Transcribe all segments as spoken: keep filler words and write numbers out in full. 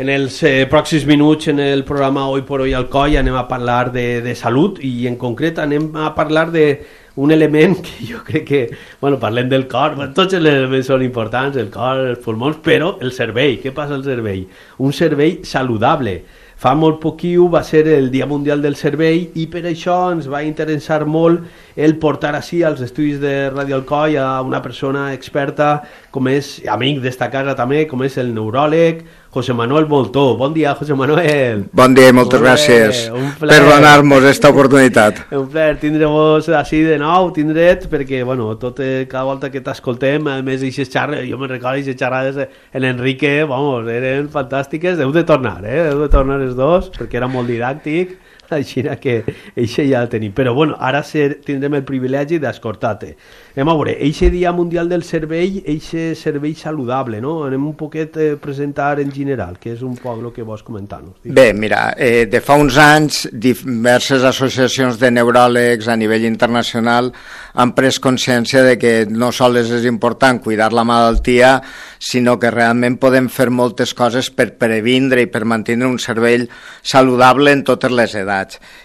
En els eh, pròxims minuts en el programa Hoy por Hoy Alcoi anem a parlar de, de salut i en concret anem a parlar d'un element que jo crec que, bueno, parlem del cor, tots els elements són importants, el cor, els pulmons, però el cervell, què passa al cervell? Un cervell saludable. Fa molt poquiu va ser el Dia Mundial del Cervell i per això ens va interessar molt el portar així als estudis de Ràdio Alcoi a una persona experta com és, amic d'esta casa també, com és el neuròleg José Manuel Moltó. Bon dia, José Manuel. Bon dia i moltes bon gràcies per donar-nos aquesta oportunitat. Un plaer tindre-vos així de nou, tindre't, perquè, bueno, tot, eh, cada volta que t'escoltem, a més d'eixes xarrades, jo me recordo d'eixes xarrades en Enrique, vamos, eren fantàstiques, heu de tornar, eh, heu de tornar els dos, perquè era molt didàctic, així que eixe ja el tenim. Però bueno, ara ser, tindrem el privilegi d'escoltar-te. Anem a veure, eixe Dia Mundial del Cervell, eixe cervell saludable, no? Anem un poquet a presentar en general, que és un poc el que vols comentar-nos. Bé, mira, eh, de fa uns anys diverses associacions de neuròlegs a nivell internacional han pres consciència de que no sols és important cuidar la malaltia, sinó que realment podem fer moltes coses per previndre i per mantenir un cervell saludable en totes les edats.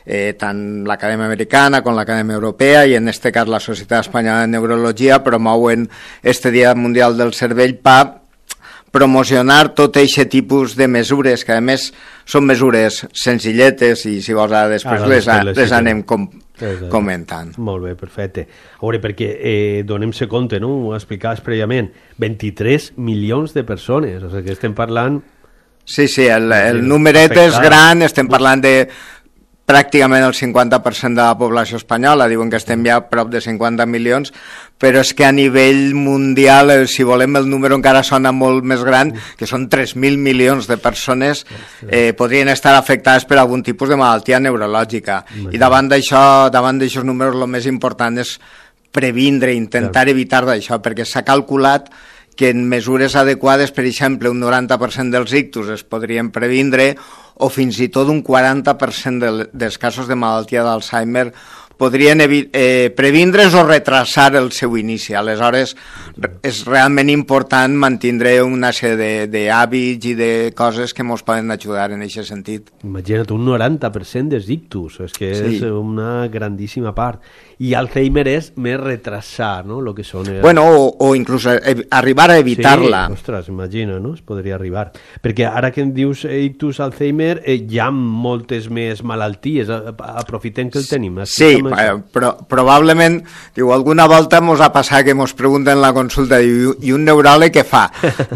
Eh, tant l'Acadèmia Americana com l'Acadèmia Europea i en este cas la Societat Espanyola de Neurologia promouen este Dia Mundial del Cervell per promocionar tot aquest tipus de mesures, que a més són mesures senzilletes i si vols ara després ah, les, les, les anem com, comentant. Molt bé, perfecte. A veure, perquè eh, donem-se compte, no? Ho explicaves prèviament, vint-i-tres milions de persones, o sigui que estem parlant... Sí, sí, el, el numeret és gran, estem parlant de pràcticament el cinquanta per cent de la població espanyola, diuen que estem ja a prop de cinquanta milions, però és que a nivell mundial, si volem, el número encara sona molt més gran, que són tres mil milions de persones eh, podrien estar afectades per algun tipus de malaltia neurològica. I davant d'això, davant d'aixòs números, el més important és previndre, intentar evitar d'això, perquè s'ha calculat que en mesures adequades, per exemple, un noranta per cent dels ictus es podrien previndre o fins i tot un quaranta per cent de, dels casos de malaltia d'Alzheimer podrien eh, previndre's o retrasar el seu inici. Aleshores, és realment important mantindre una sèrie d'hàbits i de coses que ens poden ajudar en aquest sentit. Imagina't, un noranta per cent dels ictus, és que sí. És una grandíssima part. I Alzheimer és més retrasar, no?, el que són... Els... Bueno, o, o inclús arribar a evitar-la. Sí, ostres, imagina, no?, es podria arribar. Perquè ara que em dius ictus, Alzheimer, eh, hi ha moltes més malalties, aprofitem que el tenim. Sí, però probablement, diu, alguna volta mos ha passat que mos pregunten la consulta i, i un neuròleg què fa?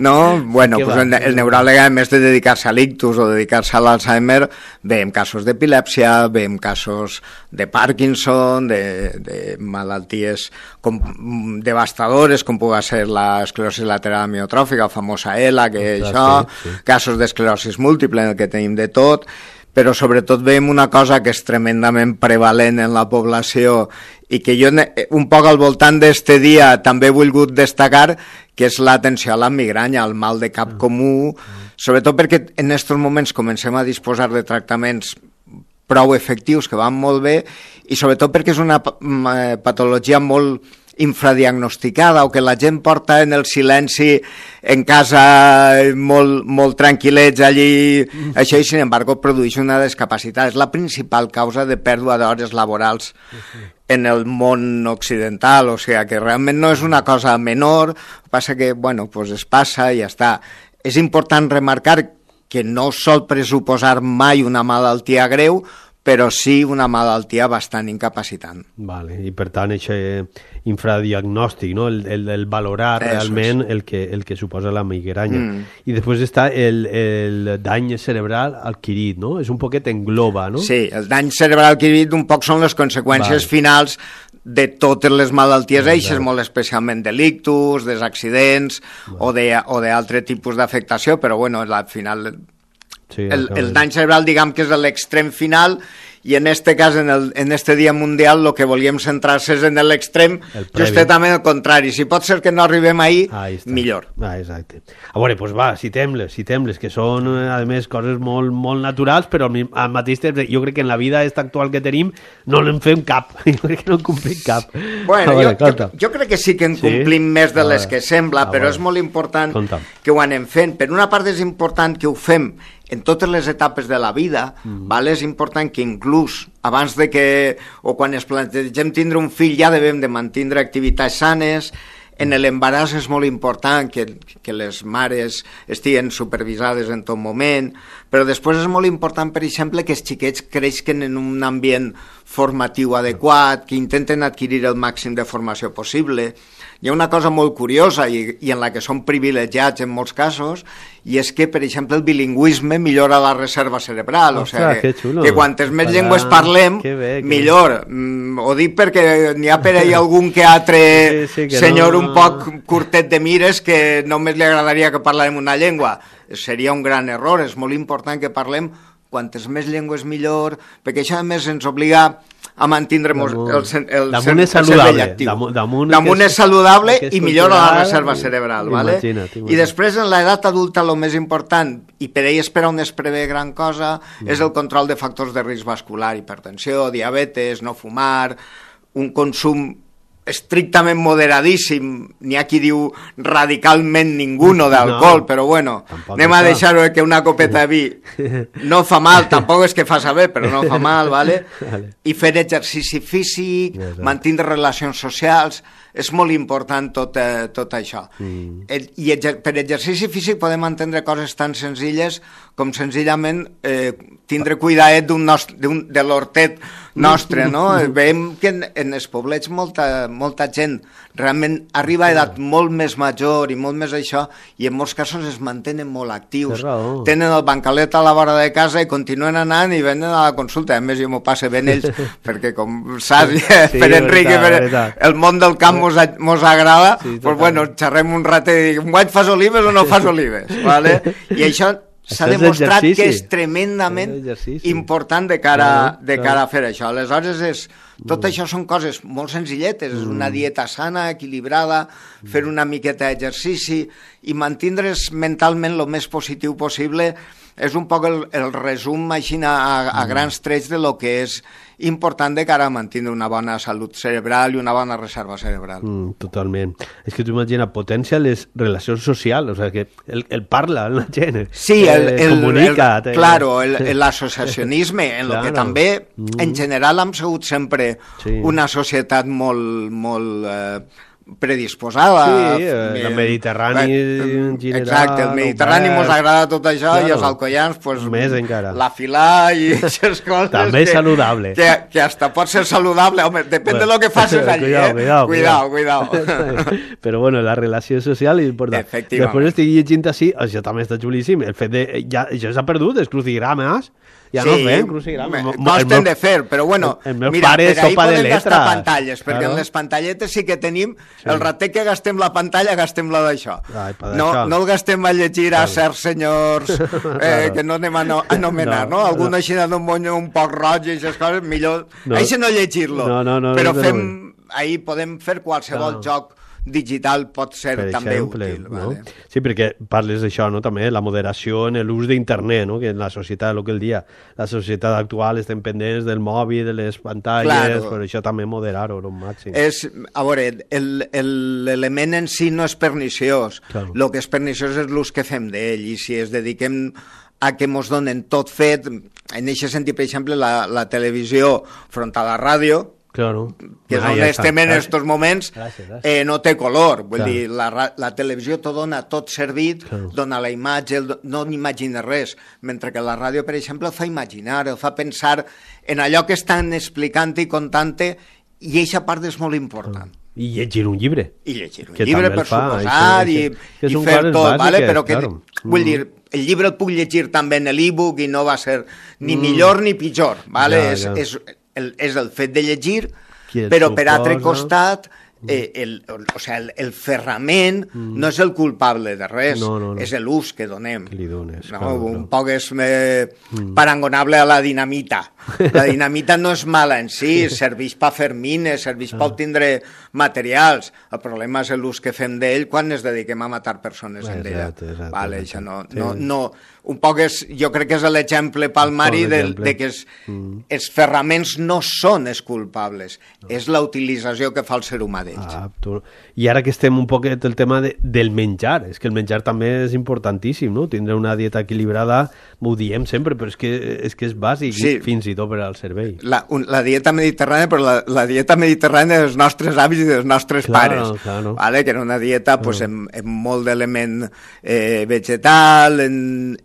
No? Bueno, pues el, el neuròleg, a més de dedicar-se a l'ictus o dedicar-se a l'Alzheimer, veiem casos d'epilèpsia, veiem casos de Parkinson, de, de malalties com, devastadores, com pugui ser l'esclerosi lateral amiotròfica, la famosa E L A, que és això, sí, sí. Casos d'esclerosi múltiple, en el que tenim de tot, però sobretot veiem una cosa que és tremendament prevalent en la població i que jo un poc al voltant d'este dia també he volgut destacar, que és l'atenció a la migranya, al mal de cap comú, sobretot perquè en aquests moments comencem a disposar de tractaments prou efectius que van molt bé i sobretot perquè és una patologia molt infradiagnosticada o que la gent porta en el silenci en casa molt, molt tranquil·lets allí, mm. això i sin embargo produeix una discapacitat. És la principal causa de pèrdua d'hores laborals mm. en el món occidental, o sigui que realment no és una cosa menor, passa que, bueno, pues es passa i ja està. És important remarcar que no sol pressuposar mai una malaltia greu, però sí una malaltia bastant incapacitant. Vale, i per tant, aquest infradiagnòstic, no? el, el, el valorar Eso realment el que, el que suposa la migranya. Mm. I després està el, el dany cerebral adquirit, no? És un poquet engloba, no? Sí, el dany cerebral adquirit un poc són les conseqüències vale. finals de totes les malalties vale, eixes, vale. molt especialment de l'ictus, dels accidents vale. o d'altre tipus d'afectació, però bueno, al final... Sí, el, el dany cerebral, diguem que és l'extrem final i en este cas, en, el, en este dia mundial, el que volíem centrar-se és en l'extrem, justament el contrari. Si pot ser que no arribem ahir, millor. Ah, exacte. A veure, doncs va, citem-les, citem-les, que són, a més, coses molt, molt naturals, però al mateix temps, jo crec que en la vida esta actual que tenim no en fem cap. Jo crec que no en complim cap. Bueno, veure, jo, jo, jo crec que sí que en complim sí? més de les que sembla, però és molt important Conta. que ho anem fent. Per una part és important que ho fem en totes les etapes de la vida, mm. val? És important que inclús abans de que, o quan es plantegem tindre un fill, ja devem de mantindre activitats sanes. En l'embaràs és molt important que, que les mares estiguin supervisades en tot moment, però després és molt important, per exemple, que els xiquets creixen en un ambient formatiu adequat, que intenten adquirir el màxim de formació possible. Hi ha una cosa molt curiosa i, i en la que són privilegiats en molts casos, i és que, per exemple, el bilingüisme millora la reserva cerebral. Ostres, o sigui, que, que quantes més Para... llengües parlem, que bé, que millor. Mm, ho dic perquè n'hi ha per ahí algun que altre sí, sí, que senyor no... un poc curtet de mires que només li agradaria que parlem una llengua. Seria un gran error. És molt important que parlem quantes més llengües millor, perquè això a més ens obliga a mantindre damunt, el, el, damunt el, és saludable, el damunt, damunt, damunt és, és saludable és i millora la reserva cerebral, vale? I després en l'edat adulta el més important, i per ell espera on es prevé gran cosa, mm. és el control de factors de risc vascular, hipertensió, diabetes, no fumar, un consum estrictament moderadíssim, n'hi ha qui diu radicalment ninguno d'alcohol, no, però bueno, anem a deixar-ho que una copeta de vi no fa mal, tampoc és que fa saber, però no fa mal, vale? I fer exercici físic, mantindre relacions socials, és molt important tot, eh, tot això. Mm. I exer per exercici físic podem entendre coses tan senzilles com senzillament eh, tindre cuidadet de l'hortet nostre, no? Veiem que en, en els poblets molta, molta gent realment arriba a edat molt més major i molt més això, i en molts casos es mantenen molt actius. Tenen el bancalet a la vora de casa i continuen anant i venen a la consulta. A més, jo m'ho passe ben ells, perquè com saps, sí, per Enric, per el món del camp mos, mos agrada, sí, doncs bueno, xerrem un ratet i dic, guany fas olives o no fas olives? Vale? I això s'ha demostrat que és tremendament important de cara, de cara a fer això. Aleshores, és, tot això són coses molt senzilletes, és una dieta sana, equilibrada, fer una miqueta d'exercici i mantindre's mentalment el més positiu possible. És un poc el, el resum així a, a grans trets de lo que és important de cara a mantenir una bona salut cerebral i una bona reserva cerebral. Mm, totalment. És que tu imagina, potencia les relacions socials, o sea, que el, el parla la gent, sí, el, el, comunica. El, el, claro, l'associacionisme, en claro. Lo que també, mm. en general, hem sigut sempre sí. Una societat molt, molt eh, predisposada. Sí, eh, el Mediterrani en general. Exacte, el Mediterrani ens agrada tot això, claro. I els alcoians, pues, més encara. La filà i aquestes coses. També és saludable. Que, que hasta pot ser saludable, home, depèn bueno, de lo que facis allí, cuidao, eh? Cuidao, cuidao, cuidao. cuidao. Però bueno, la relació social és important. Després estic llegint així, això també està xulíssim, el fet de, ja, això s'ha perdut, els crucigrames, ja sí, no fem crucigrames. Costen de fer, però bueno, el, el mira, per ahí podem gastar pantalles, perquè claro. En les pantalletes sí que tenim, sí. El ratet que gastem la pantalla, gastem la d'això. No, no el gastem a llegir claro. A certs senyors eh, claro. Que no anem a no, anomenar, no? no? Algun no. Així d'un monyo un poc roig i aquestes coses, millor, no. Així no llegir-lo, no, no, no, però no, fem, no. Ahí podem fer qualsevol no. Joc digital pot ser per també exemple, útil. No? Vale? Sí, perquè parles d'això, no? També la moderació en l'ús d'internet, no? Que en la societat, el que el dia, la societat actual estem pendents del mòbil, de les pantalles, claro. Per això també moderar-ho al màxim. És, a veure, l'element en si no és perniciós, el claro. Que és perniciós és l'ús que fem d'ell, i si es dediquem a que mos donen tot fet, en aquest sentit, per exemple, la, la televisió front a la ràdio, claro. Que és ah, on ja estem en aquests moments, gràcies, gràcies. Eh, no té color, vull claro. Dir, la, la televisió t'ho dona tot servit, claro. Dona la imatge, el, no n'imagines res, mentre que la ràdio, per exemple, el fa imaginar, el fa pensar en allò que estan explicant i contant, i aquesta part és molt important. Claro. I llegir un llibre. I llegir un llibre, per fa, suposar, i, i fer tot, bàsiques, vale? Però que, claro. Vull dir, el llibre el puc llegir també en l'e-book i no va ser ni mm. millor ni pitjor, vale? Ja, ja. És, és, el, és el fet de llegir, però per altre costat eh, el, o sea, el, el ferrament mm. no és el culpable de res, no, no, no. és l'ús que donem. Que li dones, no? claro, Un claro. poc és eh, mm. parangonable a la dinamita. La dinamita no és mala en si, serveix per fer mines, serveix per obtindre materials. El problema és l'ús que fem d'ell quan ens dediquem a matar persones en ella. Vale, això no, no, no, un poc és, jo crec que és l'exemple palmari de, de que els, mm. els ferraments no són els culpables, no. És la utilització que fa el ser humà d'ells. Ah, tu... I ara que estem un poquet el tema de, del menjar, és que el menjar també és importantíssim, no? Tindre una dieta equilibrada, ho diem sempre, però és que és, que és bàsic, sí. Fins i tot per al cervell. La, un, la dieta mediterrània, però la, la dieta mediterrània dels nostres avis i dels nostres claro, pares, claro. Vale? Que era una dieta claro. Pues, amb, amb molt d'element eh, vegetal, en,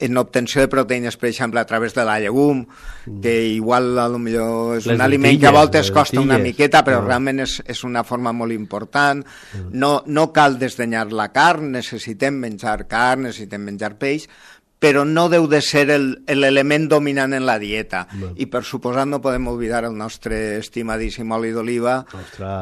en obtenció de proteïnes, per exemple, a través de la llegum, mm. que igual a lo millor és les un aliment que a voltes costa una miqueta, però no. Realment és, és una forma molt important. Mm. No, no cal desdenyar la carn, necessitem menjar carn, necessitem menjar peix, però no deu de ser l'element dominant en la dieta. No. I per suposat no podem oblidar el nostre estimadíssim oli d'oliva,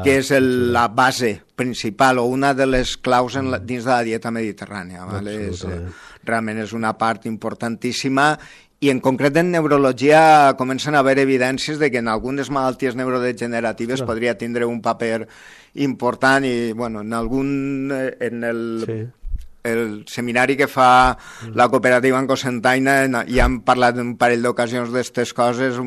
que és el, la base principal o una de les claus en la, dins de la dieta mediterrània. Vale? És, eh, realment és una part importantíssima i en concret en neurologia comencen a haver evidències de que en algunes malalties neurodegeneratives no. Podria tindre un paper important i bueno, en algun... en el... Sí. El seminari que fa la cooperativa en Cocentaina ja hem parlat un parell d'ocasions d'aquestes coses,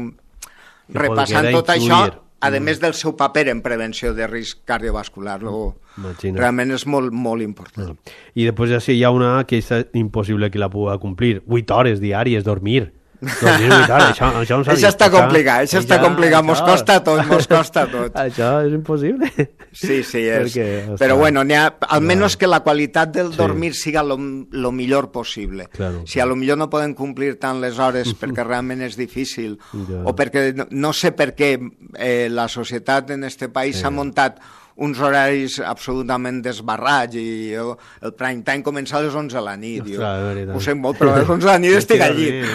repassant tot això, a més del seu paper en prevenció de risc cardiovascular. Imagina. Realment és molt, molt important. I després ja sí, hi ha una que és impossible que la pugui complir, vuit hores diàries, dormir. Dormir vuit hores, això, això, no això està complicat, això està complicat, mos costa tot, mos costa tot. Això és impossible. Sí, sí, és. Perquè, però bueno, ha, almenys que la qualitat del dormir sí. Siga lo, lo millor possible. Claro, si a lo millor no poden complir tant les hores perquè realment és difícil, ja. O perquè no, no sé per què eh, la societat en este país s'ha sí. Muntat uns horaris absolutament desbarrats i el, el prime time comença a les onze de la nit. Ostres, jo, ho sé molt, però a les onze de la nit estic al llit.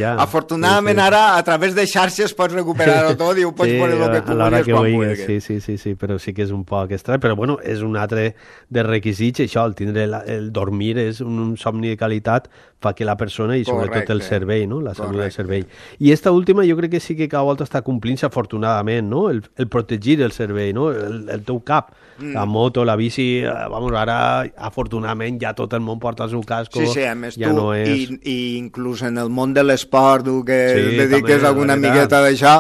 Ja. Afortunadament sí, sí. Ara a través de xarxes pots recuperar-ho tot i ho pots sí, veure el que tu vulguis quan vulguis. Sí, sí, sí, sí, però sí que és un poc estrany, però bueno, és un altre de requisits, això, el tindre la, el dormir és un somni de qualitat, fa que la persona i sobretot correcte, el cervell, no? La salut correcte. Del cervell. I esta última jo crec que sí que cada volta està complint-se afortunadament, no? El, el protegir el cervell, no? El, el teu cap, mm. La moto, la bici, vamos, ara afortunadament ja tot el món porta el seu casco, sí, sí, a més ja tu, no és... I, i inclús en el món de l'esport, tu que sí, dediques també, alguna miqueta d'això,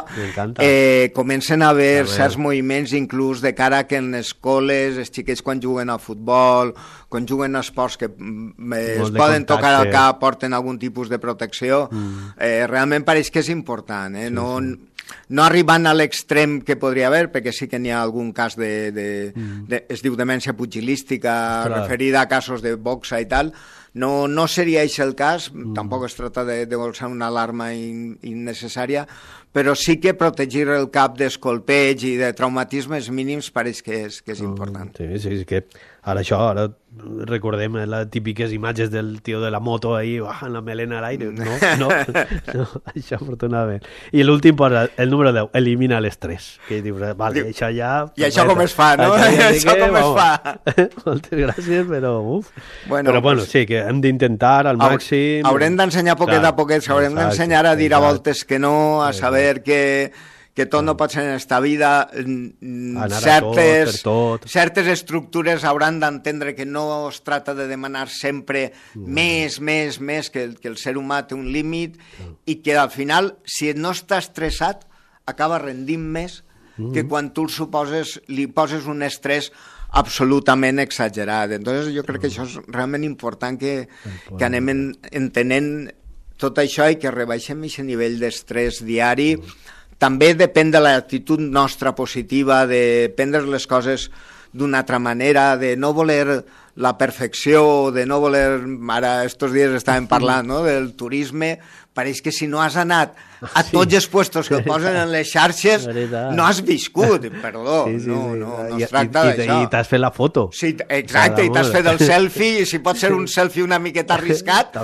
eh, comencen a haver també. Certs moviments inclús de cara que en escoles, els xiquets quan juguen al futbol, quan juguen a esports que eh, es poden contacte. Tocar al cap, porten algun tipus de protecció, mm. eh, realment pareix que és important, eh? Sí, no... Sí. No arribant a l'extrem que podria haver, perquè sí que n'hi ha algun cas de, de, mm. de es diu demència pugilística, clar. Referida a casos de boxa i tal, no, no seria això el cas, mm. Tampoc es tracta de, de bolsar una alarma in, innecessària, però sí que protegir el cap d'escolpeig i de traumatismes mínims pareix que és, que és important. Sí, sí, sí, que ara això, ara recordem les típiques imatges del tio de la moto ahí, amb la melena a l'aire, no, no, no, això afortunadament. I l'últim posa, el número deu, elimina l'estrès, que dius, vale, Diu, això ja... I això com es fa, no? Això, això com es fa? Moltes gràcies, però uf. Bueno, però bueno, pues, sí, que hem d'intentar al màxim... Haurem d'ensenyar poquet clar, a poquet, haurem d'ensenyar a dir a voltes que no, a saber que... que tot no pot ser en esta vida, certes, tot, tot. certes estructures hauran d'entendre que no es tracta de demanar sempre mm. més, més, més, que, que el ser humà té un límit mm. i que al final, si no està estressat, acaba rendint més mm. que quan tu suposes, li poses un estrès absolutament exagerat. Entonces jo crec mm. que això és realment important que, que anem en, entenent tot això i que rebaixem aquest nivell d'estrès diari. Mm. També depèn de l'actitud nostra positiva, de prendre les coses d'una altra manera, de no voler la perfecció, de no voler... Ara, estos dies estàvem parlant, no?, del turisme. Pareix que si no has anat a tots els puestos que posen en les xarxes, no has viscut, perdó. Sí, sí, no, sí. no, no es tracta d'això. I t'has fet la foto. Sí, exacte, i t'has fet el selfie, i si pot ser un selfie una miqueta arriscat,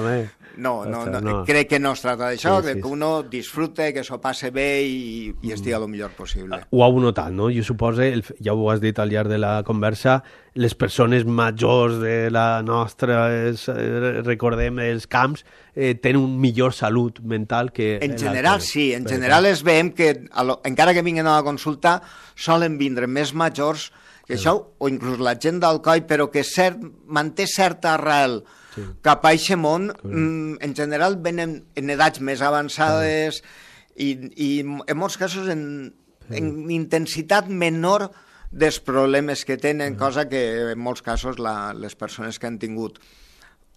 No, no, no, no, crec que no es trata d'això, sí, crec sí, que uno disfrute, que s'ho passe bé i, i estigui el millor possible. Ho heu notat, no? Jo suposo, el, ja ho has dit al llarg de la conversa, les persones majors de la nostra, es, recordem, els camps, eh, tenen un millor salut mental que... En general, sí. En general es veiem que, lo, encara que vinguin a la consulta, solen vindre més majors que sí, això, o inclús la gent d'Alcoi, però que cert, manté certa arrel sí, cap a aquest món, mm, en general venen en edats més avançades sí, i, i en molts casos en, sí, en intensitat menor dels problemes que tenen, sí, cosa que en molts casos la, les persones que han tingut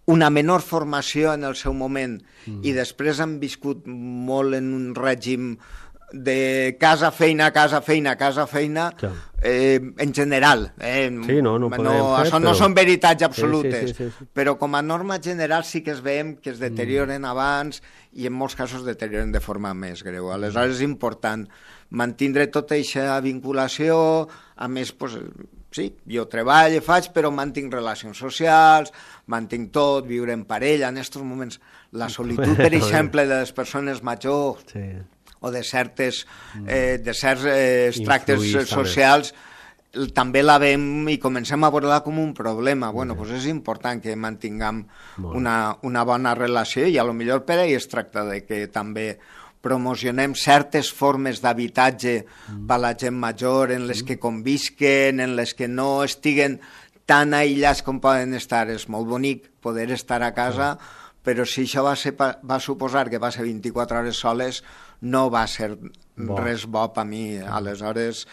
una menor formació en el seu moment mm, i després han viscut molt en un règim de casa, feina, casa, feina, casa, feina, eh, en general. Eh, sí, no, no, no fer, això no però... són veritats absolutes, sí, sí, sí, sí, però com a norma general sí que es veiem que es deterioren mm, abans i en molts casos deterioren de forma més greu. Aleshores és important mantindre tota aquesta vinculació, a més, pues, sí, jo treballo, faig, però mantinc relacions socials, mantinc tot, viure en parella, en aquests moments la solitud, per exemple, de les persones majors, sí, o de certes eh, de certs eh, tractes Influís, socials també. també la veiem i comencem a veure-la com un problema. Bueno, sí, pues és important que mantinguem una, una bona relació i a lo millor per ahí es tracta de que també promocionem certes formes d'habitatge mm, per a la gent major en les que convisquen, en les que no estiguen tan aïllats com poden estar. És molt bonic poder estar a casa, sí, però si això va, ser, va suposar que va ser vint-i-quatre hores soles, no va ser bo, res bo per mi. Aleshores,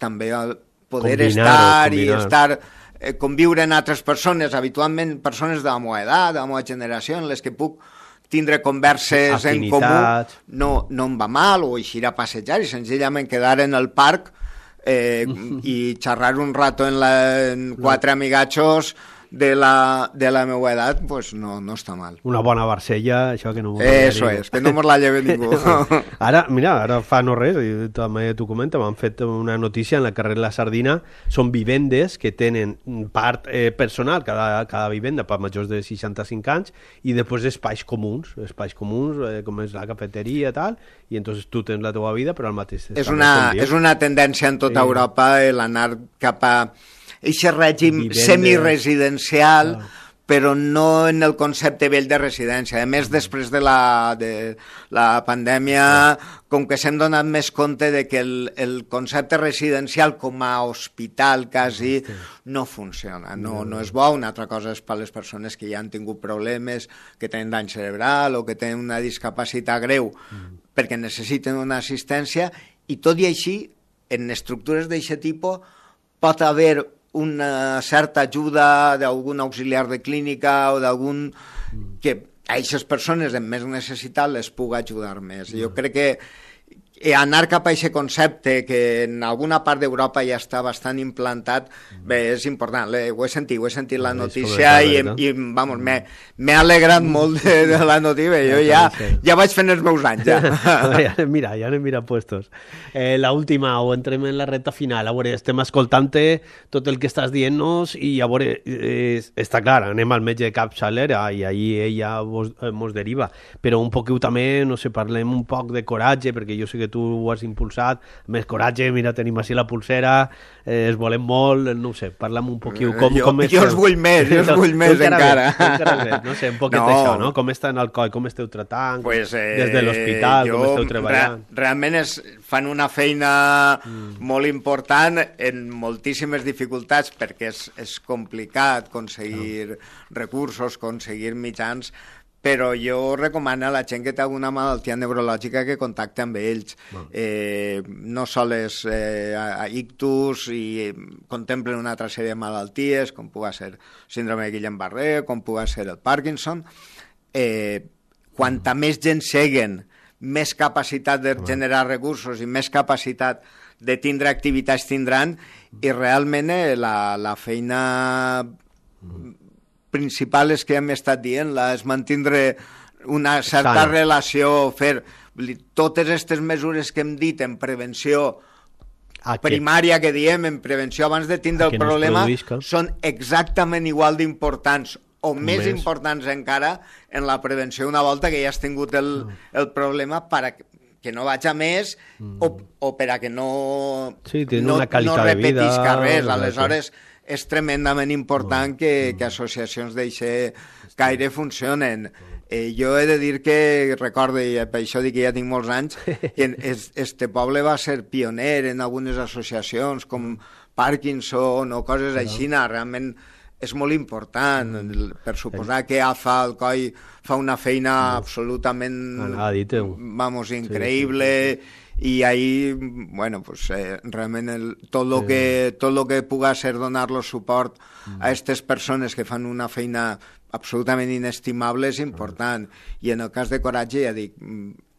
també el poder estar i estar, eh, conviure amb altres persones, habitualment persones de la meva edat, de la meva generació, en les que puc tindre converses Afinitat. en comú, no, no em va mal, o eixir a passejar i senzillament quedar en el parc eh, i xerrar un rato en, la, en quatre no. amigatxos de la, de la meva edat, pues no, no està mal. Una bona Barcella, això que no... Eso és, que no mos la lleve ningú. Ara, mira, ara fa no res, i també t'ho comenta, m'han fet una notícia en la carrer La Sardina, són vivendes que tenen part eh, personal, cada, cada vivenda per majors de seixanta-cinc anys, i després espais comuns, espais comuns, eh, com és la cafeteria i tal, i entonces tu tens la teva vida, però al mateix... És una, és una tendència en tota sí, Europa l'anar cap a aquest règim semiresidencial, ah, però no en el concepte vell de residència. A més, després de la, de la pandèmia, com que s'hem donat més compte de que el, el concepte residencial com a hospital quasi no funciona, no, no és bo. Una altra cosa és per les persones que ja han tingut problemes, que tenen dany cerebral o que tenen una discapacitat greu, perquè necessiten una assistència, i tot i així, en estructures d'aquest tipus, pot haver una certa ajuda d'algun auxiliar de clínica o d'algun que a aquestes persones amb més necessitat les pugui ajudar més. Jo crec que anar cap a aquest concepte que en alguna part d'Europa ja està bastant implantat, bé, és important. Ho he sentit, ho he sentit la notícia i, i vamos, m'he alegrat molt de, de la notícia. Jo ja, ja vaig fent els meus anys, ja. Mira, ja anem mirant puestos. Eh, la última, o entrem en la recta final. A veure, estem escoltant tot el que estàs dient-nos i a veure, eh, està clar, anem al metge de capçalera i ahí ella vos, eh, mos deriva, però un poquet també, no sé, parlem un poc de coratge, perquè jo sé que tu ho has impulsat, més coratge, mira, tenim així la pulsera, eh, es volem molt, no sé, parlem un poquet com, jo, com jo us vull més, jo us vull més encara. encara. No sé, un poquet no. d'això, no? Com està en el coll, com esteu tratant, pues, eh, des de l'hospital, com esteu treballant. Re, realment és, fan una feina mm. molt important en moltíssimes dificultats, perquè és, és complicat aconseguir no. recursos, aconseguir mitjans, però jo recomano a la gent que té alguna malaltia neurològica que contacti amb ells. No, eh, no sols eh, a, a ictus, i contemplen una altra sèrie de malalties, com pugui ser síndrome de Guillain-Barré, com pugui ser el Parkinson. Eh, quanta més gent seguen, més capacitat de generar recursos i més capacitat de tindre activitats tindran, i realment eh, la, la feina... principal és que hem estat dient, és mantindre una certa Sana. relació, fer totes aquestes mesures que hem dit en prevenció Aquest. primària, que diem, en prevenció abans de tindre el problema, no són exactament igual d'importants o més, més importants encara en la prevenció una volta que ja has tingut el, el problema per a que no vaig a més mm. o, o per a que no, sí, no, una no repetisca res. Aleshores, sí. és tremendament important que, que associacions d'aquest caire funcionen. Eh, jo he de dir que, recordo, i per això dic que ja tinc molts anys, que este poble va ser pioner en algunes associacions com Parkinson o coses així, realment és molt important, per suposar que A F A Alcoi fa una feina absolutament, vamos, increïble, i ahí, bueno, pues eh, realment el, tot lo que tot lo que puga ser donar-lo suport a aquestes persones que fan una feina absolutament inestimable és important. I en el cas de Coratge, ja dic,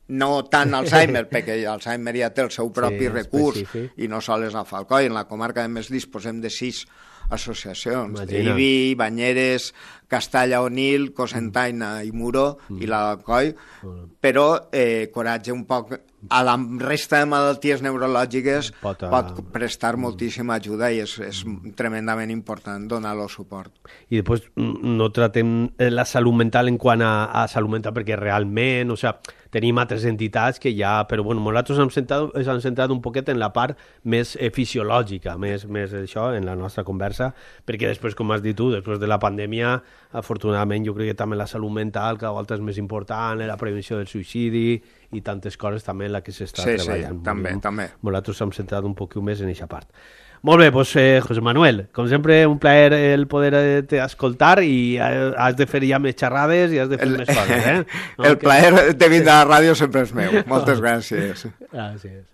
no tant Alzheimer, perquè Alzheimer ja té el seu propi sí, recurs específic. I no sols a Falcoi. En la comarca, a més, disposem de sis associacions, Ibi, Banyeres, Castalla Onil, Cocentaina i Muro mm. i l'Alcoi, mm. però eh, Coratge un poc a la resta de malalties neurològiques pot, uh... pot prestar moltíssima ajuda i és, és tremendament important donar-lo suport. I després no tratem la salut mental en quant a, a salut mental perquè realment, o sea, tenim altres entitats que ja, però bueno, nosaltres hem centrat, hem centrat un poquet en la part més eh, fisiològica, més, més això, en la nostra conversa, perquè després, com has dit tu, després de la pandèmia, afortunadament jo crec que també la salut mental cada volta és més important, la prevenció del suïcidi i tantes coses també en la que s'està sí, treballant. Sí, també, Molt, també. Nosaltres hem centrat un poc més en aquesta part. Molt bé, doncs, eh, José Manuel, com sempre, un plaer el poder eh, escoltar i eh, has de fer ja més xerrades i has de fer el, més coses, eh? No? El plaer de vindre a la ràdio sempre és meu. Moltes gràcies. Gràcies.